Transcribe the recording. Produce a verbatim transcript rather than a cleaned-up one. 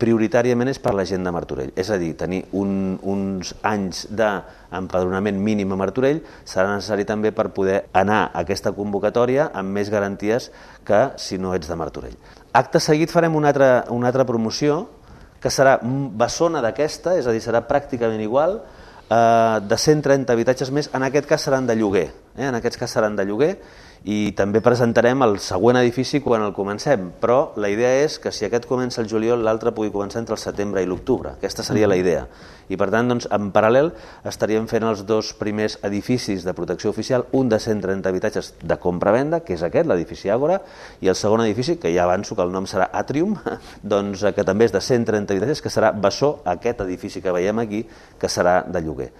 prioritàriament és per la gent de Martorell. És a dir, tenir un, uns anys d'empadronament mínim a Martorell serà necessari també per poder anar a aquesta convocatòria amb més garanties que si no ets de Martorell. Acte seguit farem una altra, una altra promoció que serà bessona d'aquesta, és a dir, serà pràcticament igual, de cent trenta habitatges més, en aquest cas seran de lloguer, eh? en aquest cas seran de lloguer, i també presentarem el següent edifici quan el comencem, però la idea és que si aquest comença el juliol, l'altre pugui començar entre el setembre i l'octubre. Aquesta seria la idea. I per tant, doncs, en paral·lel estaríem fent els dos primers edificis de protecció oficial, un de cent trenta habitatges de compra-venda, que és aquest, l'edifici Àgora, i el segon edifici, que ja avanço que el nom serà Atrium, doncs, que també és de cent trenta habitatges, que serà bessó aquest edifici que veiem aquí, que serà de lloguer.